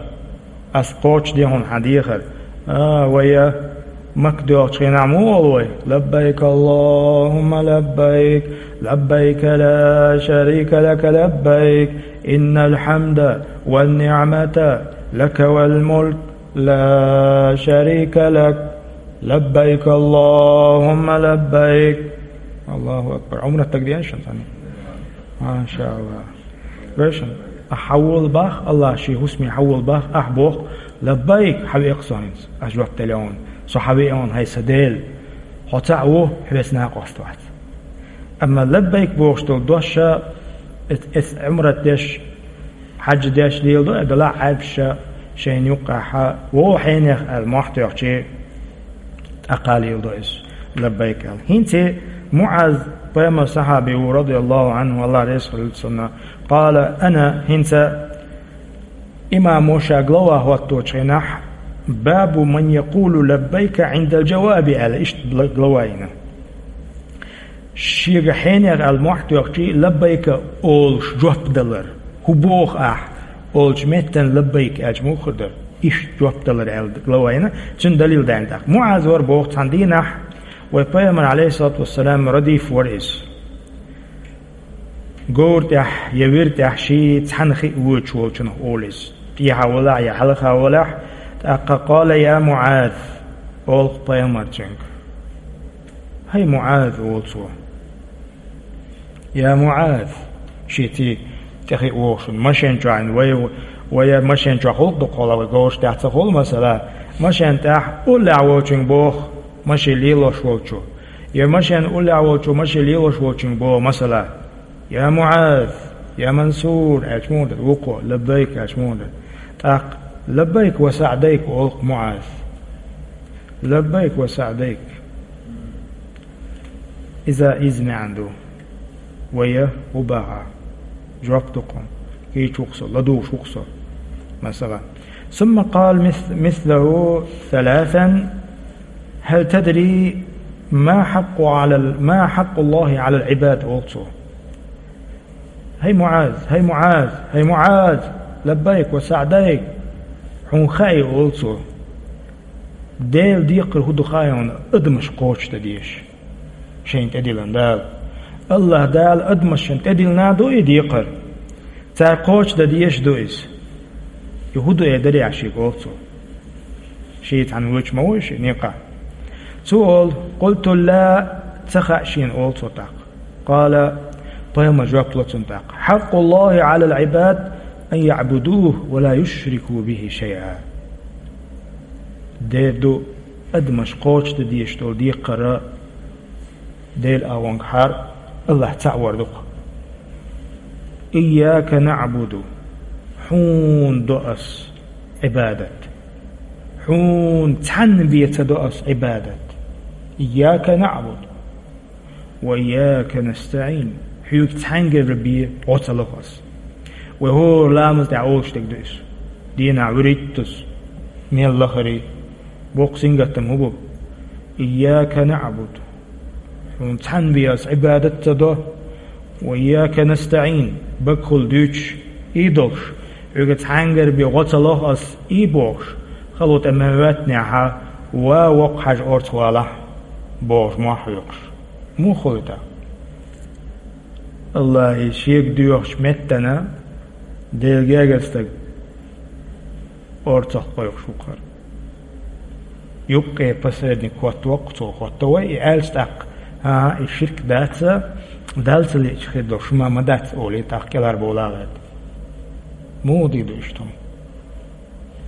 ас кхочушде хьуна хьан дехар. А, вай я Макка доьлхучу хенахь муха олу вай? Лаббайк Аллахумма лаббайк, лаббайк ла шарика лака лаббайк, иннал хьамда ван ниъмата лака вал мулк, ла шарика лак, лаббайк Аллахумма лаббайк. Аллаху акбар. Ӏумрат дагадеана шуна цхьанна? Машалла. Вешан, ахь хьан волу бах, Аллах шен хӀусаме хьан волу бах, ахь боху: «Лаббайк, хьан веа со хӀинца, ас жоп дели хьуна, со хьан веа хьуна, хӀай сан Дела, хьо цхьаъ ву, хьоьца накъост вац». Амма лаббайк бохуш долу дош ша, эц-, эц Ӏумрат деш, хьаьж деш леладо, а, делахь Ӏаьрбаша шайна юккъехь вогӀу хьенех аьлла мохь тоьхчи, тӀаккха леладо иза, лаббайк аьлла. ХӀинца МуӀаз, пайхамар сахьаби ву, радияллаху Ӏанху, Аллах реза хуьлда цунна, къала: «Ана», хӀинца имамо ша глава хӀотточу хенахь, «Бабу ман якъулу лаббайка Ӏиндал джаваби», аьлла, иштта бла-, глава йина. Шега хьенех аьлла мохь тоьхчи, «Лаббайка» олуш жоп далар. «ХӀун боху ахь?» олучу меттана «Лаббайк» аьлча муха хир дара? Иштта жоп далар аьлла глава йина, цуьнан далил даьлла тӀаккха. МуӀаз вара боху цхьана дийнахь, вай пайхамар, алейхиссалату вассалам, радиф вара иза. Говра тӀехь я вира тӀехь ший цхьаьна хиъна воьдуш волчунах олу иза. ТӀехьа валахь я хьалха валахь, тӀаккха: «Къала я МуӀаз», олу-кх пайхамар цуьнга. «ХӀай МуӀаз», олу цо. «Я МуӀаз», шеца тӀехиъна вогӀуш, машен чохь вай, вай машен чохь гӀуллакх ду кхуьлахь, вай говраш тӀехь ца хуьлу, масала, машен тӀехь уллехь волчуьнга боху, машин лелош волчу, я машен уллехь волчу, машин лелош волчуьнга боху, масала: «Я МуӀаз, я Мансур», аьлча муха дара, вукхо: «Лаббайк», аьлча муха дара? ТӀаккха: «Лаббайк ва саӀдайк», олу-кх МуӀаз. «Лаббайк ва саӀдайк». Иза, иза маьӀна ду. Вай я хӀун баха? Жоп ду кхунна. Кийча ву-кх со, ладугӀуш ву-кх со. Масала. Сумма къала мис-, мислаху саласан: «Хьал тадри ма хьакъу Ӏалал-, ма хьакъуллахи Ӏалал Ӏибад?» олу цо. «ХӀай МуӀаз, хӀай МуӀаз, хӀай МуӀаз, лаббайк ва саӀдайк, хьуна хаьий, — олу цо, — Делан декхар хӀун ду хаьий хьуна адамаш кхочушдан дезаш?» Шайна тӀедиллина Дала. Аллах Дала адамашна тӀедиллина ду и декхар. Цара кхочушдан дезаш ду иза. И хӀун ду эр дарехь шега олу цо. Шен цхьаьна вуьйцуш ма вуй шен некъа. Цо олу: «Къулту ла», ца хаьа шена олу цо тӀаккха. Къала, пайхамар жоп ло цунна тӀаккха: «Хьакъуллахи Ӏалал Ӏибад ан яӀбудуху ва ла юшрику бихи шайъа». Дера ду, адамаш кхочушдан дезаш долу декхар Делан агӀонгахьара Аллах цхьаъ вар ду-кх. «Ийяка наӀбуду», хьуна до ас Ӏибадат. Хьуна цхьанна бен ца до ас Ӏибадат. «Ийяка наӀбуду ва ийяка настаӀин». Хьоьга цхьаьнгара бен гӀо ца лоху ас. Вай хӀора ламаз тӀехь олуш дерг ду иза. Дийнахь вуьрхӀиттаза, мел лахара, боккха сингаттам хӀун бу? «Ийяка наӀбуду». Хьуна цхьанна бен ас Ӏибадат ца до. «Ва ийяка настаӀин», багахула дуьйцуш, и долуш, хьоьга цхьаьнгара бен гӀо ца лоху ас, и бохуш, хало тӀе ма ваьттинехь, ва воккха хьажа орца валахь, бохуш, мохь хьоькхуш. Муха хуьлу тӀаккха? Аллахьа шега доьхучу меттана Делан гергара стаг орцах кхойкхуш ву-кх хӀара. Юккъе посредник хӀоттавоккху цо, хӀотта вай, и аьлча тӀаккха: «ХӀан-хӀа, и ширк дац, Далла ца лиъча хир долуш хӀума ма дац», олий, тӀаккха кӀелхьарбовла гӀерта. Муха дийр ду иштта хӀума?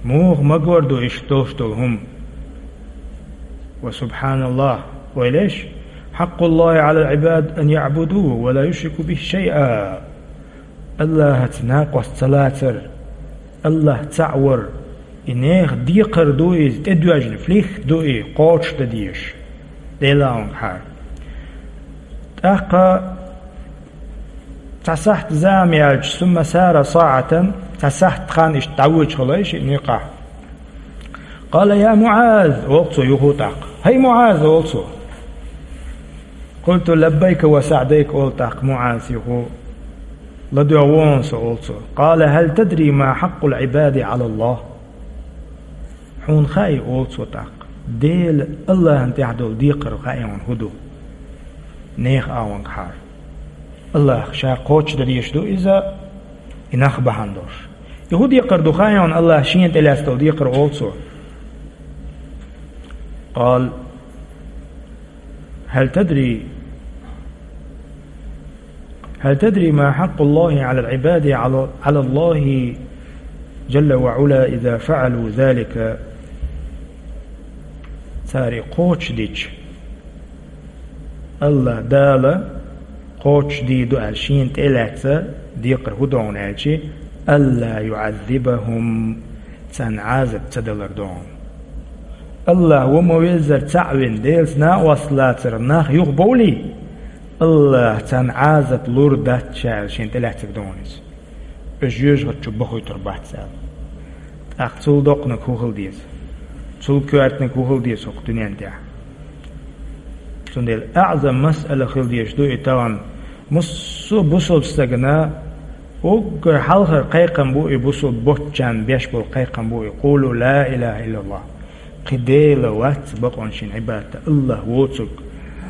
Муха магор ду иштта долуш долу хӀума? Ва субхьаналлахь, вай леш: «Хьакъуллахи Ӏалал Ӏибад ан яӀбудуху ва ла юшрику бихи шайъа». Аллахьаца накъост ца лацар, Аллахь цхьаъ вар, и нехан декхар ду иза, тӀедоьжна флихт ду и, кхочушдан дезаш. Делан хьар. ТӀаккха цхьа сахьт зама яьлча, ثم سار ساعة, цхьа сахьт хан иштта дӀавоьдуш хилла шиъ никъахь. قال: يا معاذ, олу цо юха тӀаккха. ХӀай МуӀаз, олу цо. قلت: لبيك وسعديك, олу тӀаккха МуӀаз юха. ЛадоьгӀна ву со, олу цо. قال: هل تدري ما حق العباد على الله؟ Хьуна хаьий, олу цо тӀаккха, Дела АллахӀан тӀехь долу декхар хаьий хьуна хӀун ду? Нехан агӀонгахьара. АллахӀа ша кхочушдан дезаш ду иза, и нах бахьана долуш. И хӀун декхар ду хаьий хьуна, АллахӀа шена тӀелаьцна долу декхар, олу цо. قال: هل تدري هل تدري ما حق الله على العباد على, على الله جل وعلا إذا فعلوا ذلك؟ Цара и кхочушдича, АллахӀ Дала кхочушдийр ду аьлла шена тӀелаьцна декхар хӀун ду хьуна аьлча, ألا يعذبهم, царна Ӏазап ца далар ду хьуна. АллахӀ ву ма-веззара цхьаъ вина, Делаца накъост лацар нах юхабовлий, АллахӀа царна Ӏазап лур дац ша аьлла шена тӀелаьцнарг ду хьуна иза. Уьш жоьжахати чу бахуьйтур бац аьлла. ТӀаккха цул доккханиг хӀун хила деза? Цул коьртаниг хӀун хила деза хӀокху дуьнен тӀехь? Цундела аӀзам масъала хила дезаш ду и тахана. Массо а бусалба стагана уггар хьалхара кхайкхам бу и, бусалба боцчарна беш болу кхайкхам бу и: قولوا لا إله إلا الله. Кхин Дела вац бакъонаш йина Ӏибадат дан, АллахӀ воцург,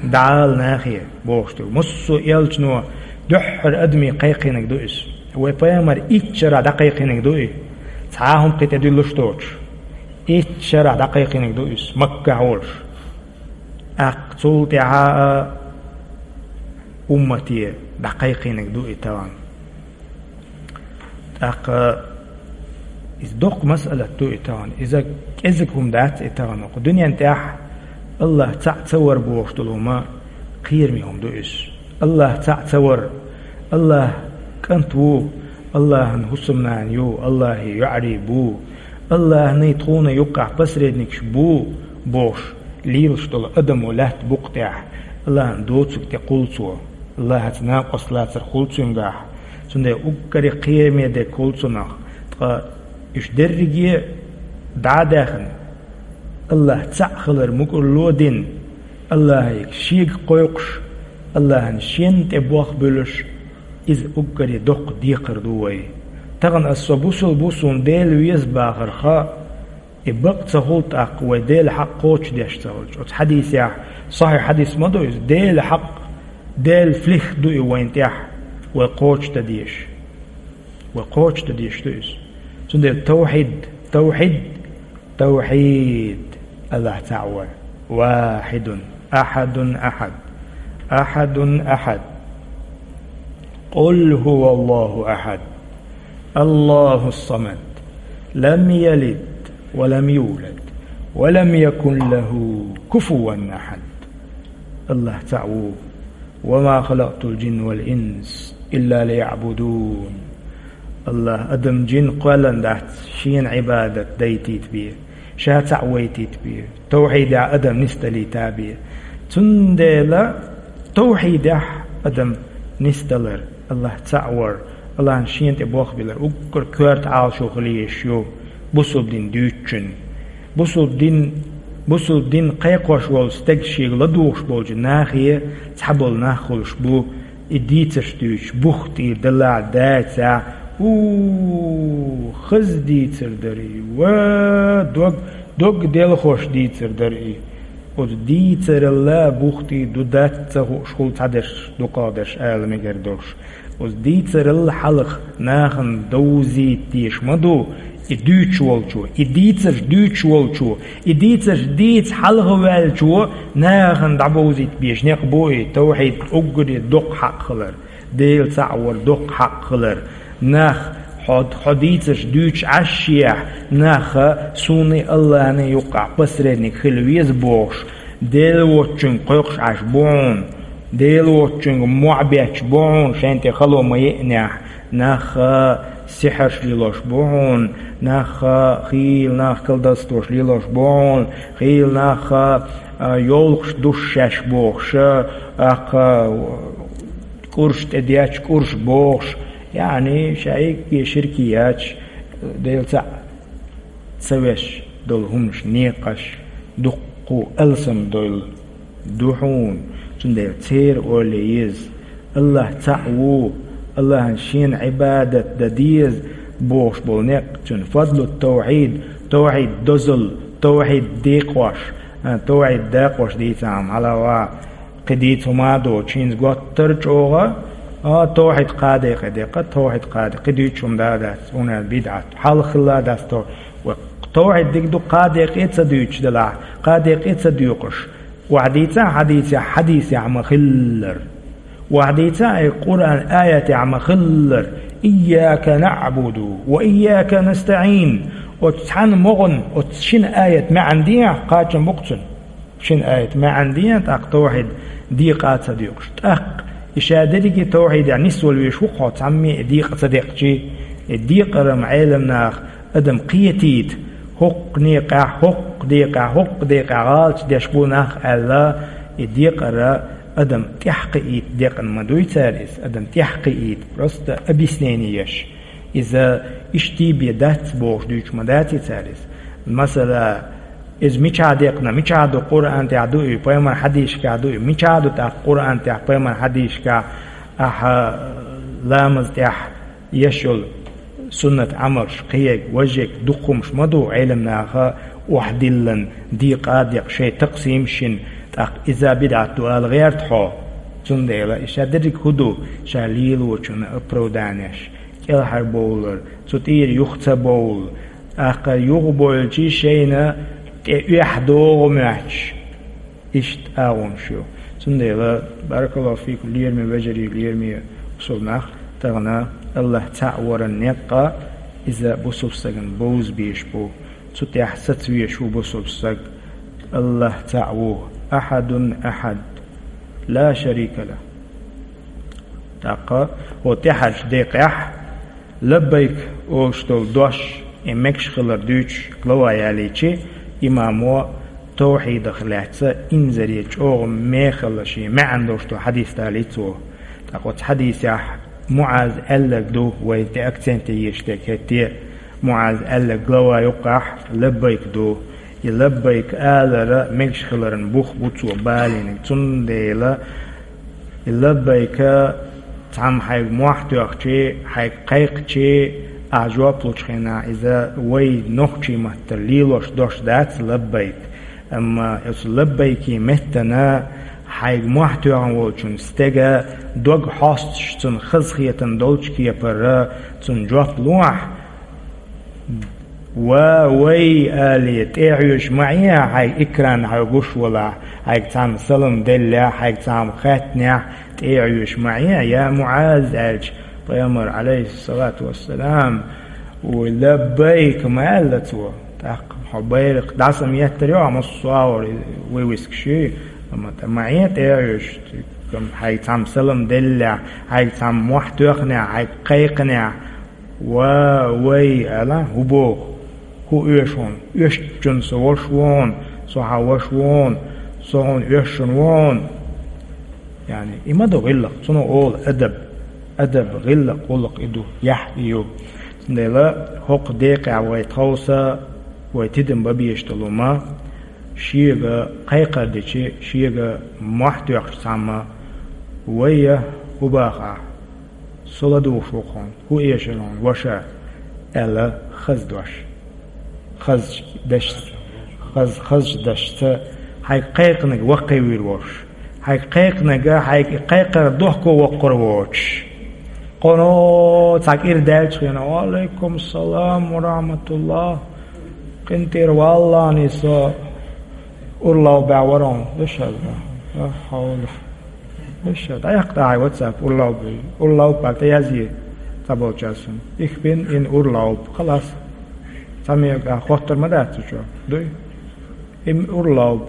дӀаала нахе, бохуш ду. Массо а элчано дуьххьара адамийн кхайкхийнарг ду иза. Вай пайхамар итт шарахь дӀакхайкхийнарг ду и, цхьа а хӀума кхин тӀе дуьллуш доцуш. Итт шарахь дӀакхайкхийнарг ду иза, Маккахь волуш. ТӀаккха цул тӀаьхьа а уммате дӀакхайкхийнарг ду и тахана. ТӀаккха иза доккха масъалат ду и тахана. Иза кӀезиг хӀума дац и тахана. Кху дуьнен тӀехь АллахӀ цхьаъ ца вар бохуш долу хӀума кхераме хӀума ду иза. АллахӀ цхьаъ ца вар, АллахӀ кӀант ву, АллахӀан хӀусамнана ю, АллахӀе йоӀарий бу, АллахӀний тхуна юккъахь посредникаш бу бохуш лелаш долу адамо лаьтта букъа тӀехь, АллахӀан доцург тӀе кхуллу цо, АллахӀаца накъост лацар хуьлу цуьнгахь. Цундела уггаре кхераме дерг хуьлу цунах, ткъа уьш дерриге а дӀа а даьхна, АллахӀ цхьаъ хилар мукӀарло а дина, АллахӀе шега кхойкхуш, АллахӀан шен тӀе болх буьллуш, иза уггаре доккха декхар ду вай. Тахана аса со бусалба ву, суна Дела веза бахарх, и бакъ ца хуьлу тӀаккха вай Делан хьакъ кхочушдеш ца хилча. Оцу хьадисехь, сахьихь хьадис ма ду иза, Делан хьакъ, Делан флихт ду и вайна тӀехь, вай кхочушдан дезаш. Вай кхочушдан дезаш ду иза. Цундела тавхьид, тавхьид, тавхьид, АллахӀ цхьаъ вар. واحد، أحد، أحد، أحد، أحد. قل هو الله أحد، الله الصمد، لم يلد ولم يولد، ولم يكن له كفوا أحد. АллахӀ цхьаъ ву. وما خلقت الجن والإنس إلا ليعبدون. АллахӀа адам, жин кхоьллина дац шена Ӏибадат дайтийта бен, ша цхьаъ вайтийта бен, тавхьидехь адам нисдалийта бен. Цундела тавхьидехь адам нисдалар, АллахӀ цхьаъ вар, АллахӀан шена тӀе болх биллар уггар коьрта Ӏалашо хила езаш ю бусалба дин дуьйцучун. Бусалба дин, бусалба дин кхайкхош волу стаг шега ладугӀуш болчу нахе цхьаболу нах хуьлуш бу, и дийцарш дуьйцуш, бух тӀера далахь дацахь, у, хаза дийцар дара и, ва, дог, дог делхош дийцар дара и. Оцу дийцаралла бух тӀера ду дац ца хууш хуьлу цхьадерш, дукхахдерш ала мегар долуш. Оцу дийцаралла хьалха нахана довзийта дезаш ма ду и дуьйцуш волчо, и дийцарш дуьйцуш волчо, и дийцарш дийца хьалха ваьллачо нахана дӀабовзийта безаш некъ бу и, тавхьид уггаре доккха хьакъ хилар, Дела цхьаъ вар доккха хьакъ хилар. Нах, хьо, хьо дийцарш дуьйцуш Ӏаш ехь, наха суна а, АллахӀна а юккъахь посредник хила веза бохуш, Дела воцчуьнга кхойкхуш Ӏаш бу хьуна, Дела воцчуьнга мохь бетташ бу хьуна, шайна тӀе хало ма еънехь, нах сихьарш лелош бу хьуна, нах хийла нах колдовствош лелош бу хьуна, хийла нах а, йовлакхаш душ шаьш бохуш, а, аккха кӀурш тӀедетташ кӀурш бохуш, яъни шайга ширк яц, Дела цхьаъ ца веш долу хӀуманаш, некъаш дуккха алсам долу ду хьуна, цундела церан ойла еза. АллахӀ цхьаъ ву, АллахӀана шена Ӏибадат дан деза бохуш болу некъ, цуьнан фадлу тавхьид, тавхьид дозалла, тавхьид декъош, а, тавхьид дакъош дийцахьа хьалава, кхин дийца хӀума а доцуш, хӀинца готтара чӀогӀа, а, тавхьид кхаа декъе декъа, тавхьид кхаа декъа, кхин дуьйцуш хӀума да а дац, хӀунда бидӀат, хьалха хилла а дац тавхьид. Ва тавхьид дика ду, кхаа декъе а ца дуьйцуш делахь, кхаа декъе а ца доькъуш, охьадийца а хьадийцехь, хьадийцехь ма-хиллара. Охьадийца а Къуръан аятехь ма-хиллара: «Ийяка наъбуду ва ийяка настаӀин». Оцу цхьана могӀан, оцу шина аят маьӀна дехьа, кхачам бу-кх цуьнан. Шина аят маьӀна дехьа, тӀаккха тавхьид декъа а ца доькъуш. ТӀаккха и ша дерриге тавхьидехь нисвала везаш ву-кх хьо, цхьамме а и декъа ца декъчий. И декъар-м Ӏеламнаха адам кхетийта, хӀокху некъехь, хӀокху декъехь, хӀокху декъехь гӀалаташ деш бу нах аьлла, и декъар адам тӀаьхьакхиийта декъна ма дуй цара иза, адам тӀаьхьакхиийта, просто объяснение еш. Иза иштта бен дац бохуш дуьйцуш ма дац и цара иза. Масала, иза мичахь декъна, мичахь ду, Къуръан тӀехь ду и, пайхамар хьадисашкахь ду и, мичахь ду тӀаккха Къуръан тӀехь, пайхамар хьадисашкахь, ахьа ламаз тӀехь еш йолу суннат Ӏамалш кхиерг, важег, дукха хӀумаш ма ду Ӏеламнаха охьадиллина, декъа а декъна, шайн такъсимаш йина, тӀаккха иза бидӀат ду ала гӀерта хьо. Цундела и ша дерриг хӀун ду, ша лелочунна оправданеш, кӀелхьарбовлар, цу тӀера юха ца бовла, тӀаккха юха бойлчий шайна тӀе оьхьа догӀу моьттуш. Иштта агӀонаш ю. Цундела, баракаллаху фикум, лераме вежарий, лераме бусулба нах, тахана АллахӀ цхьаъ варан некъа, иза бусулба стагана бовза безаш бу. Цу тӀехь саца везаш ву бусулба стаг. АллахӀ цхьаъ ву. Ахьадун ахьад. Ла шарика ла. ТӀаккха хӀо тӀаьхьарчу декъехь «Лаббайк» олуш долу дош, и мегаш хилар дуьйцуш глава ялийчи, имамо тавхьидах лаьцна инзаре чӀогӀа мехала шен маьӀна долуш долу хьадис далийта цо. ТӀаккха оцу хьадисехь МуӀаз аьлларг ду, вай де акценте езаш дерг хӀетте а, МуӀаз аьлларг глава юккъехь «Лаббайк» ду. И «Лаббайк» алара мегаш хиларан бух бу цо балийнарг. Цундела и «Лаббайк» цхьамма хьайга мохь тоьхчи, хьайга кхайкхачи, ахь жоп лучу хенахь, иза вай нохчийн маттара лелош дош дац «Лаббайк». Амма оцу «Лаббайк»-ийн меттана хьайга мохь тоьхна волчун стеган дог хьостуш, цунна хазахетам долчу кепара цунна жоп лохь, «Ва, вай» алий, тӀе а хьоьжуш ма Ӏе, хьайга экран хьоьга гуш валахь, хьайга цхьамма салам деллехь, хьайга цхьамма хаьттинехь, тӀе а хьоьжуш ма Ӏе, я МуӀаз, аьлча, пайхамар, Ӏалайхиссалату вассалам, вай «Лаббайк» ма аьлла цо. ТӀаккха хьо байракх дӀасаметтар йо, массо а агӀор вывескаш, амма тӀе ма Ӏе, тӀе а хьоьжуш, хьайга цхьамма салам деллехь, хьайга цхьамма мохь тоьхнехь, хьайга кхайкхинехь, «Ва, вай» аьлла, хӀун боху? ХӀун оьшу хьуна? Оьшучунна со ваша ву хьуна, со хьан ваша ву хьуна, со хьуна оьшучунна ву хьуна. Яъни, и ма ду гӀиллакх, цунах олу адаб. Адаб, гӀиллакх, гӀуллакх и ду, яхь и ю. Цундела хӀокху декъехь вай тховса, вай тидам бан безаш долу ма, шега кхайкхар дичи, шега мохь тоьхча цхьамма, вай я хӀун баха ахь? Со ладугӀуш ву хьуна, хӀун эшар хьуна, ваша, аьлла, хаза дош. Хазачу дашца, хаз-, хазачу дашца, хьайга кхайкхинарг ваккхий вийр волуш. Хьайга кхайкхинарг, хьайга и кхайкхар дохко воккхур воцуш. Кхуьно цхьа кӀира даьллачу хенахь: «Ва Ӏалайкум салам ва рахьматуллахӀ. КъинтӀера валлахӀи со урлавбаь вара хьуна». Вешал, ла хьавла. Вешал, дӀаяккха хьайн WhatsApp, урлавб. Урлавб аьлла тӀеязъе цхьаболчаьрца. «Их бин ин урлавб». Халас. Цхьа мега хоттар ма дац цу чохь. Дуй? Им урлавб.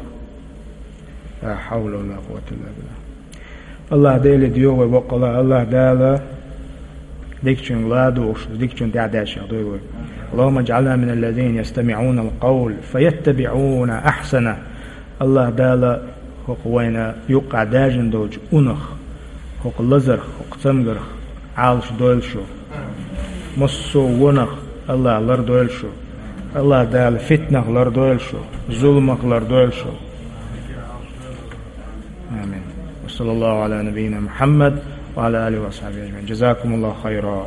Ла хьавла ва ла къуввата илла биллахӀ. АллахӀ Деле доьху вай боккъала, АллахӀ Дала дикачуьнга ладугӀуш, дикачунна тӀаьхьадаьржех дойла вай. اللهم اجعلنا من الذين يستمعون القول فيتبعون أحسنه. АллахӀ Дала хӀокху вайна юккъахь даьржина долчу унах, хӀокху лазарх, хӀокху цамгарх Ӏалаш дойла шу. Массо а вонах АллахӀ лардойла шу. АллахӀ Дала фитнах лардойла шу, зуламах лардойла шу. Амин. Ва саллаллаху Ӏала набийина Мухьаммад ва Ӏала алихи ва асхьабихи ажмаӀин. Жазакумуллаху хайра.